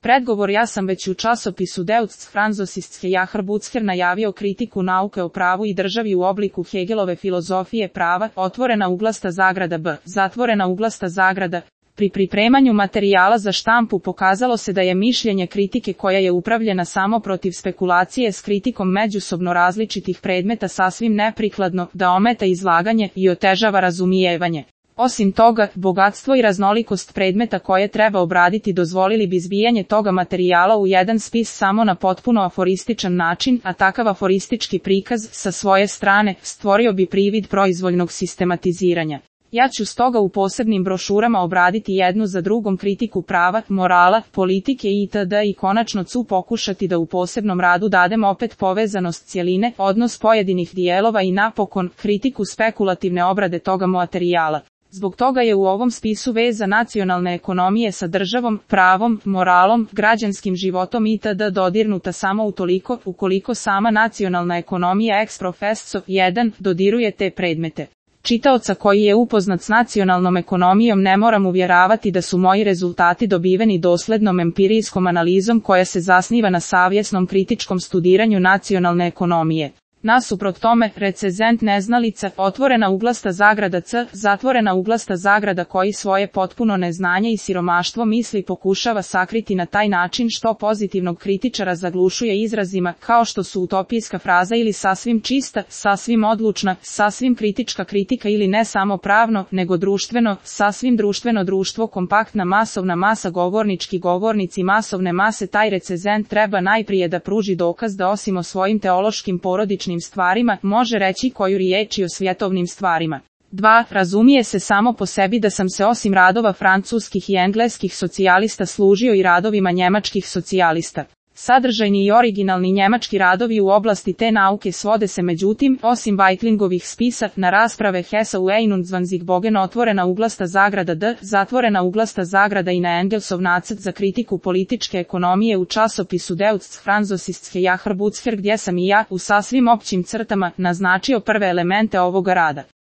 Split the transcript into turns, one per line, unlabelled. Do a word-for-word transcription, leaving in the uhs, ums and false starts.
Predgovor: ja sam već u časopisu Deutsche Franzosistske Jahrbucher najavio kritiku nauke o pravu i državi u obliku Hegelove filozofije prava, otvorena uglasta zagrada b, zatvorena uglasta zagrada. Pri pripremanju materijala za štampu pokazalo se da je mišljenje kritike koja je upravljena samo protiv spekulacije s kritikom međusobno različitih predmeta sasvim neprikladno, da ometa izlaganje i otežava razumijevanje. Osim toga, bogatstvo i raznolikost predmeta koje treba obraditi dozvolili bi zbijanje toga materijala u jedan spis samo na potpuno aforističan način, a takav aforistički prikaz, sa svoje strane, stvorio bi privid proizvoljnog sistematiziranja. Ja ću stoga u posebnim brošurama obraditi jednu za drugom kritiku prava, morala, politike itd. i konačno ću pokušati da u posebnom radu dadem opet povezanost cjeline, odnos pojedinih dijelova i napokon, kritiku spekulativne obrade toga materijala. Zbog toga je u ovom spisu veza nacionalne ekonomije sa državom, pravom, moralom, građanskim životom itd. dodirnuta samo utoliko, ukoliko sama nacionalna ekonomija ex professo jedan dodiruje te predmete. Čitaoca koji je upoznat s nacionalnom ekonomijom ne moram uvjeravati da su moji rezultati dobiveni doslednom empirijskom analizom koja se zasniva na savjesnom kritičkom studiranju nacionalne ekonomije. Nasuprot tome, recenzent neznalica, otvorena uglasta zagrada c, zatvorena uglasta zagrada koji svoje potpuno neznanje i siromaštvo misli pokušava sakriti na taj način što pozitivnog kritičara zaglušuje izrazima, kao što su utopijska fraza ili sasvim čista, sasvim odlučna, sasvim kritička kritika ili ne samo pravno, nego društveno, sasvim društveno društvo, kompaktna masovna masa, govornički govornici masovne mase. Taj recenzent treba najprije da pruži dokaz da osim o svojim teološkim porodičnim stvarima, može reći koju riječ i o svjetovnim stvarima. dva. Razumije se samo po sebi da sam se osim radova francuskih i engleskih socijalista služio i radovima njemačkih socijalista. Sadržajni i originalni njemački radovi u oblasti te nauke svode se međutim, osim Weitlingovih spisa, na rasprave Hessa u einundzwanzig otvorena uglasta zagrada d, zatvorena uglasta zagrada i na Engelsov nacrt za kritiku političke ekonomije u časopisu Deutsche Franzosistske Jahrbucher, gdje sam i ja, u sasvim općim crtama, naznačio prve elemente ovoga rada.